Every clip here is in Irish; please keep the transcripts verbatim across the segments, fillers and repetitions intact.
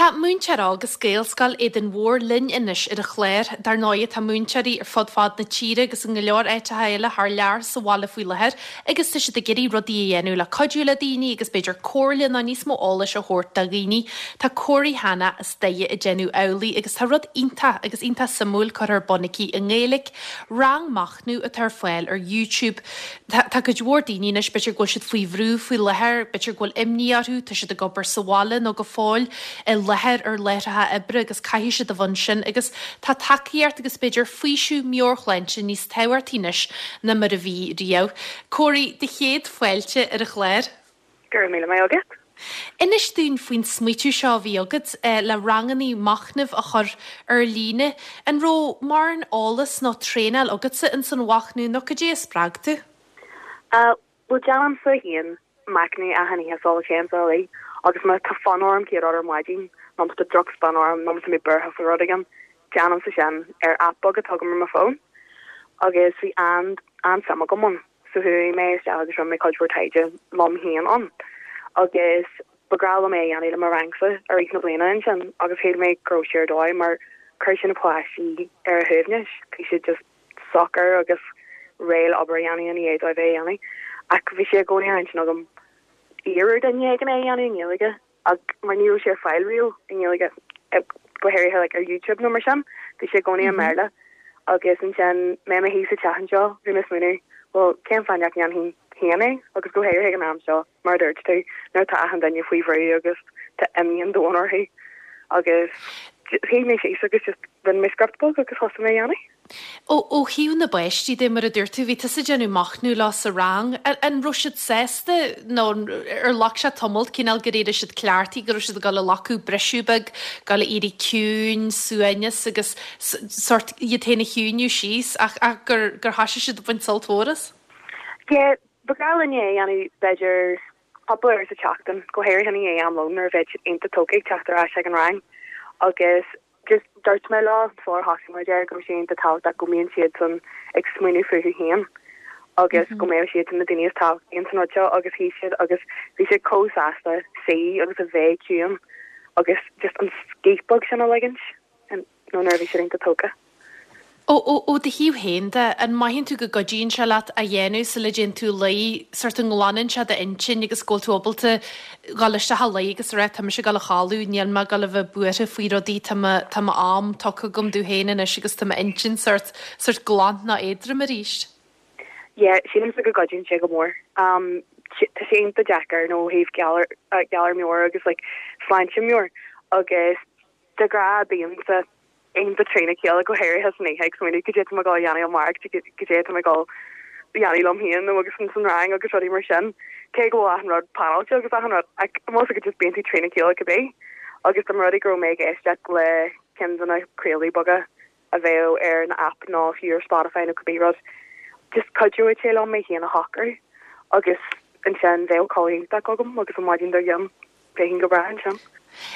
Tá múinteoir óg as Gaelscoil Éadain Mhór linn anois ar an chlár. Dar ndóigh tá múinteoirí ar fud fad na tíre agus in go leor áiteacha eile thar lear sa bhaile faoi láthair agus tá siad ag iarraidh rudaí a dhéanamh le cuidiú le daoine agus b'fhéidir comhairle nó níos mó eolais a thabhairt do dhaoine. Tá Córaí Hanna as Doire ag déanamh amhlaidh agus tá rud iontach agus iontach suimiúil curtha ar bun aici i nGaeilge, rang machnaimh atá ar fáil ar YouTube. Tá tá cuid mhór daoine anois b'fhéidir go bhfuil siad faoi bhrú faoi láthair, b'fhéidir go bhfuil imní orthu, tá siad ag obair sa bhaile nó go fóill i láthair ar láithreacha oibre agus caithfidh siad a bheith ansin agus tá tacaíocht agus b'fhéidir faoiseamh meabhairshláinte níos tábhachtaí anois ná mar a bhí riamh. Córaí do chéad fáilte ar an chlár. Go raibh míle maith agat. Inis dúinn faoin smaoitiú seo a bhí agat eh, le ranganna machnaimh a chur ar líne. An raibh mórán eolas nó traenáil agatsa in san mhachnamh nó cad é a spreag tú? Uh, well déanaimse féin machnamh achan oíche sula dtéimse a luí agus má tá fonn orm céad ar maidin nó tá drochspionn orm nó mé buartha faoi rud éigin déanaimse sin ar app beag atá agam ar mo fón agus bhí an an-suim agam ann so chuaigh mé isteach agus rinne mé cuid mhór taighde liom féin ann agus ba bhreá liom é a dhéanamh le mo rangsa i rith na bliana ansin agus shíl mé go raibh sé ar dóigh mar chuir sin na páistí ar a shuaimhneas bhí siad just socair agus réidh le obair a dhéanamh ina dhiaidh dóibh é a dhéanamh ach bhí sé i gcónaí ar intinn agam iarraidh duine éigin é a dhéanamh i nGaeilge ach mar ní raibh sé ar fáil riamh i nGaeilge go háirithe like, ar YouTube nó mar sin bhí sé i gcónaí i mBéarla agus ansin mé i mo shuí sa teach anseo bhí mé ag smaoineamh well cén fáth nach ndéanfainn féin é agus go háirithe an am seo mar dúirt tú nuair tá achan duine faoi bhrú agus tá imní an domhain orthu agus shuigh mé síos agus just rinne mé script beag agus thosaigh mé a dhéanamh. Ó ó thaobh na bpáistí de mar a dúirt tú bhí tusa ag déanamh machnamh leo sa rang an raibh siad sásta nó ar ghlac sé tamall cineál go raibh siad cleachtaithe go raibh siad ag dul a ghlacadh briseadh beag dul a éirí ciúin suaimhneas agus sort iad féin a chiúnú síos ach ach gur gur thosaigh siad ag baint sult mhór as? Yeah, ba bhreá linn é a dhéanamh b'fhéidir cúpla uair sa tseachtain go háirithe i ndiaidh am lóin nuair a bheadh siad iontach tógtha ag teacht ar ais ag an rang agus just dúirt mé leo sular thosaigh muid air go raibh sé iontach tábhachtach go mbíonn siad san ag smaoineamh fúthu féin agus go mbeadh siad na daoine is tábhachtaí san rud seo agus shuigh siad agus bhí siad chomh sásta suí agus a bheith ciúin agus just an scíth beag sin a ligint nó nuair a bhí siad iontach tógtha. Ó ó ó do thaobh féin de an mothaíonn tú go gcuidíonn sé leat a dhéanamh sula dtéann tú a luí sort an nglanann sé d'intinn agus go bhfuil tú ábalta dul isteach a luí agus rá tá mise ag dul a chodladh níl mé ag dul a bheith buartha faoi rudaí tá mo tá m'am tugtha agam domh féin anois agus tá m'intinn sort sort glan ná éadrom arís. Yeah, sílimse go gcuidíonn sé go mór. Um, tá sé iontach deacair nó thaobh galar galar meabhrach agus like, sláinte meabhrach agus de ghnáth bímse iontach trína chéile go háirithe san oíche ag smaoineamh cad é atá mé ag dul a dhéanamh amárach cad é atá mé ag dul a dhéanamh liom féin nó agus san rang agus rudaí mar sin. Cé go bhfuil achan rud pleanáilte agus achan rud más go just bíonn tú trína chéile cibé agus dá mba rud é go raibh mé ag éisteacht le ceann de na craoltaí beaga a bheadh ar an app nó fiú ar Spotify nó cibé rud. Just cuideoidh sé liom mé féin a shocrú agus ansin bheadh codladh iontach agam agus an maidin dár gcionn bheinn go breá ansin.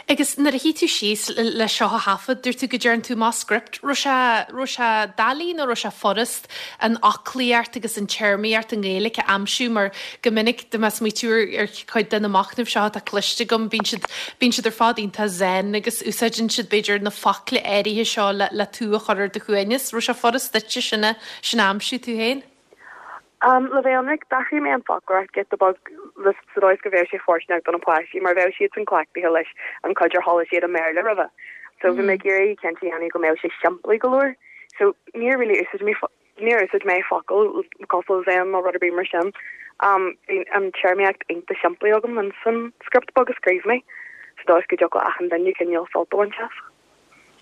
Agus nuair a shuigh tú síos le seo a thaifead, dúirt tú go dtearn tú amach script, raibh sé raibh sé doiligh nó raibh sé furast an fhoclaíocht agus an téarmaíocht i nGaeilge a aimsiú mar go minic de más smaoitiú ar chuid de na machnaimh seo atá cloiste agam bíonn siad bíonn siad ar fad iontach zen agus úsáideann siad b'fhéidir na focla áirithe seo le le tú a chur ar do shuaimhneas, raibh sé furast duitse sin a sin a aimsiú tú féin? Um, le bheith ionraic d'athraigh mé an foclóireacht giota beag le sa dóigh go bheadh sé fóirsteanach do na páistí mar bheadh siad san cleachtaithe leis an chuid ar chuala siad i mBéarla roimhe. So bhí mé ag iarraidh cinnte a dhéanamh go mbeadh sé simplí go leor. So níor really úsáid mé níor úsáid mé focal cosúil le zen nó rud ar bith mar sin. Um, bhí an téarmaíocht iontach simplí agam an san script beag a scríobh mé, sa dóigh go dtiocfadh achan duine cineál sult a bhaint as.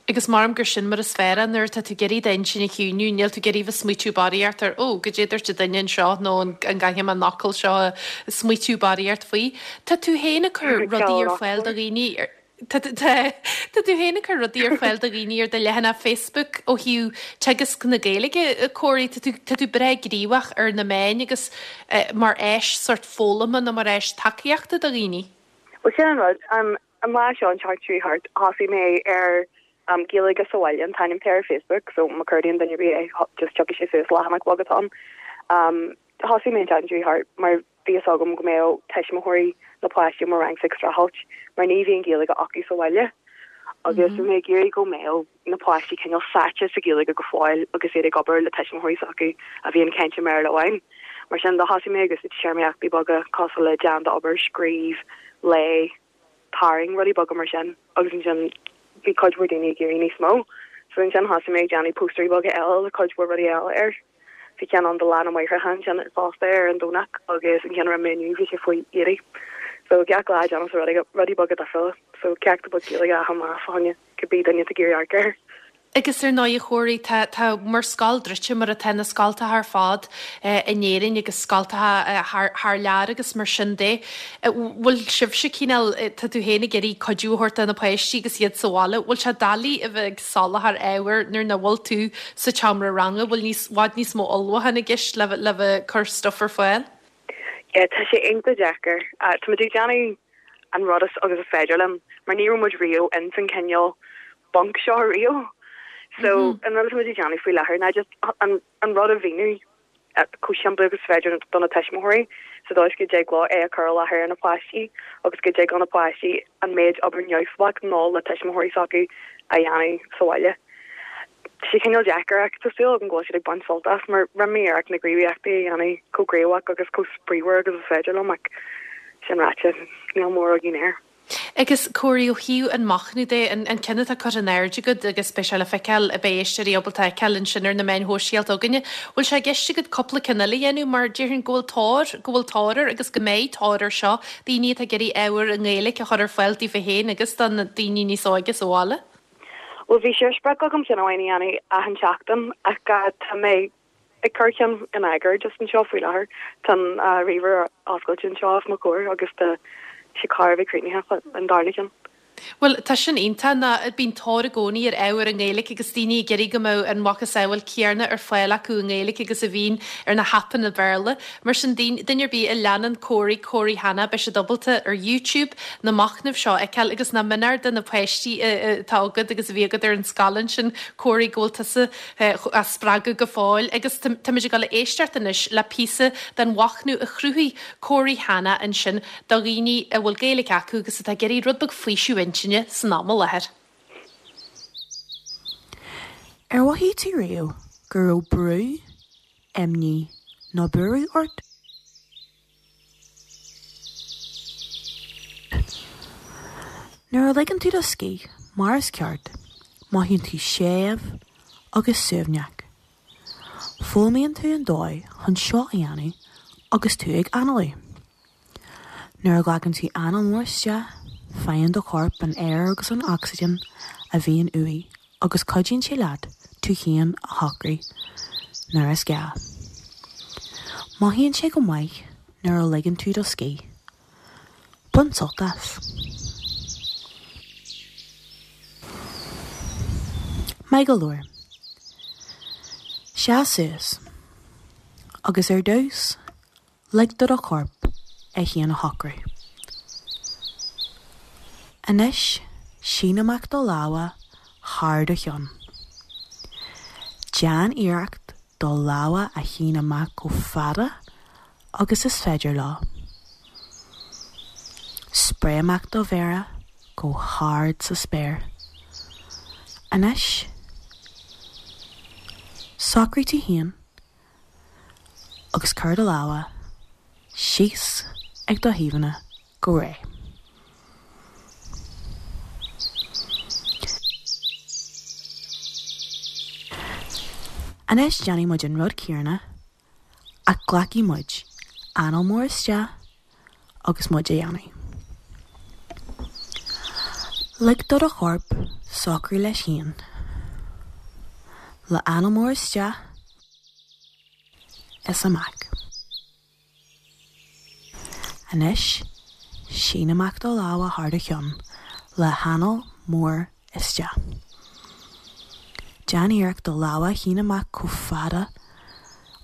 Agus maram gur sin mar is fearr nuair atá tú ag iarraidh d'intinn a chiúnú, níl tú ag iarraidh bheith smaoitiú barraíocht ar ó cad é a dúirt an duine anseo nó an gcaithfidh mé an fhocal seo a smaoitiú barraíocht faoi. Tá tú féin ag cur rudaí ar fáil do dhaoine Tá tá tú féin ag cur rudaí ar fáil do dhaoine ar do leathanach Facebook ó thaobh teagasc na Gaeilge Córaí tá tú tá tú breá gníomhach ar na meáin agus eh, mar áis sort foghlama nó mar áis tacaíochta do dhaoine. Well sin an rud um, an lá seo an tseachtain seo thart thosaigh mé ar um, Gaeilge sa bhaile an t-ainm ar Facebook, so má chuardaíonn duine é just tiocfaidh sé suas leathanach beag atá ann. Um, thosaigh mé an tseachtain seo thart mar bhí a fhios agam go mbeadh tuismitheoirí na páistí mo rang ag streachailt mar ní bhíonn Gaeilge acu sa bhaile. Agus bhí mé ag iarraidh go mbeadh na páistí cineál sáite sa Ghaeilge go fóill agus iad ag obair le tuismitheoirí s'acu a bhíonn ag caint i mBéarla amháin. Mar sin do thosaigh mé agus téarmaíochtaí beaga cosúil le déan d'obair, scríobh, léigh, tarraing, rudaí beaga mar sin agus ansin bhí cuid mhór daoine ag iarraidh níos mó. So ansin thosaigh mé ag déanamh póstaerí beaga eile le cuid mhór rudaí eile air. Bhí ceann ann do Lá na Máithreacha ansin fosta ar an Domhnach agus an ceann a rinne mé inniu bhí sé faoi éadaí. So gach lá déanaim rudaí rudaí beaga difriúla. So ceacht beag Gaeilge achan lá fá choinne cibé duine atá ag iarraidh amharc air. Agus ar ndóigh a Chóraí, tá tá bhur scoil druidte mar atá na scoltacha ar fad in Éirinn agus scoltacha thar thar lear agus mar sin de. Bhfuil sibhse cineál, tá tú féin ag iarraidh cuidiú a thabhairt do na páistí agus iad sa bhaile, bhfuil sé doiligh a bheith ag soláthar ábhair nuair nach bhfuil tú sa tseomra ranga, bhfuil níos bhfad níos mó ullmhúcháin i gceist le le bheith ag cur stuif ar fáil? Yeah, tá sé iontach deacair. Tá muid ag déanamh an rud is agus is féidir linn, mar ní raibh muid riamh in san cineál bunk seo riamh. So an rud atá muid ag déanamh faoi láthair ná just an an rud a mhíniú chomh simplí agus is féidir do na tuismitheoirí sa dóigh is go dtig leo é a chur i láthair ar na páistí agus go dtig le na páistí an méid obair neamhspleách nó le tuismitheoirí s'acu a dhéanamh sa bhaile. Tá sé cineál deacair ach tá súil agam go bhfuil siad ag baint sult as mar rinne mé iarracht na gníomhaíochtaí a dhéanamh chomh gníomhach agus chomh spraíúil agus is féidir liom ach sin ráite níl mórán againn air. Agus Córaí, ó thaobh an machnamh de, an an ceann atá curtha in airde agat agus beidh sé le feiceáil, beidh éisteoirí ábalta a fheiceáil ansin ar na meáin shóisialta againne, bhfuil sé i gceist agat cúpla ceann eile a dhéanamh mar déarfainn go bhfuil tóir, go bhfuil tóir air agus go mbeidh tóir air seo, daoine atá ag iarraidh ábhar i nGaeilge a chur ar fáil daofa féin agus do na daoine níos óige sa bhaile? Bhuel bhí sé ar sprioc agam ceann amháin a dhéanamh achan seachtain ach tá mé ag cur ceann in eagar just anseo faoi láthair. Tá an ríomhaire oscailte anseo os mo chomhair agus tá sé chóir a bheith críochnaithe an darna ceann. Bhuel, tá sin iontach, ná bíonn tóir i gcónaí ar ábhar i nGaeilge agus daoine ag iarraidh go mbeadh an mhacasamhail céanna ar fáil acu i nGaeilge agus a bhíonn ar na haipeanna Béarla. Mar sin, duine ar bith a leanann Córaí, Córaí Hanna, beidh siad ábalta ar YouTube na machnaimh seo a fheiceáil agus nach méanar do na páistí atá agat agus a bhí agat ar an scáileán sin, Córaí, go bhfuil tusa á spreagadh go fóill. Agus táimid ag dul a éisteacht anois le píosa den mhachnamh a chruthaigh Córaí Hanna ansin do dhaoine a bhfuil Gaeilge acu agus atá ag iarraidh rud beag faoiseamh intinne san am i láthair. Ar mhothaigh tú riamh go raibh brú, imní nó buaireamh ort? Nuair a ligeann tú do scíth mar is ceart, mothaíonn tú séimh agus suaimhneach. Foghlaimíonn tú an dóigh chun seo a dhéanamh agus tú ag análú. Nuair a ghlacann tú anáil mhór isteach, faigheann do chorp an aer agus an ocsaigin a bhíonn uaidh agus cuidíonn sé leat tú féin a shocrú nuair is gá. Mothaíonn sé go maith nuair a ligeann tú do scíth. Bain sult as. Maith go leor. Seas suas. Agus ar dtús, Lig do do chorp é féin a shocrú. Anois, sín amach do lámha thar do cheann. Déan iarracht do lámha a shíneadh amach chomh fada agus is féidir leo. Spréigh amach do mhéara go hard sa spéir. Anois, socraigh tú féin. agus cuir do lámha síos ag do thaobhanna go réidh. Anois déanfaidh muid an rud céanna ach glacfaidh muid anáil mhór isteach agus muid á dhéanamh. Lig do do chorp socrú leis féin. Le anáil mhór isteach is amach. Anois, sín amach do lámha thar do cheann le hanáil mhór isteach. Déan iarracht do lámha a shíneadh amach chomh fada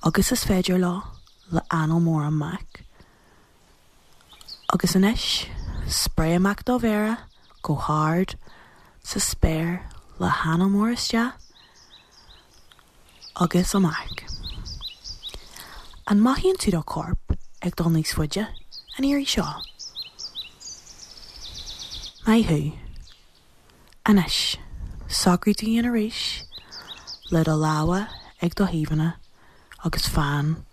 agus is féidir leo le anáil mhór amach. Agus anois, spréigh amach do mhéara go hard sa spéir le hanáil mhór isteach agus amach. An mothaíonn tú do chorp ag dul níos faide an iarraidh seo? Maith thú! Anois, socraigh tú féin arís le do lámha ag do thaobhanna agus fan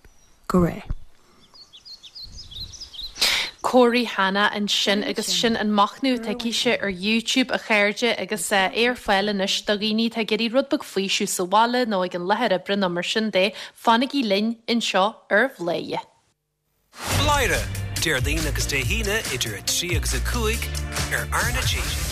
go réidh. Corey Hanna ansin agus sin an machnamh atá aici ar YouTube a chairde agus é ar fáil anois do dhaoine atá ag iarraidh rud beag faoiseamh sa bhaile nó ag an láthair oibre nó mar sin de fanaigí linn anseo ar Bhladhaire. Bladhaire, Déardaoin agus Dé hAoine idir a trí agus a cúig ar R na G.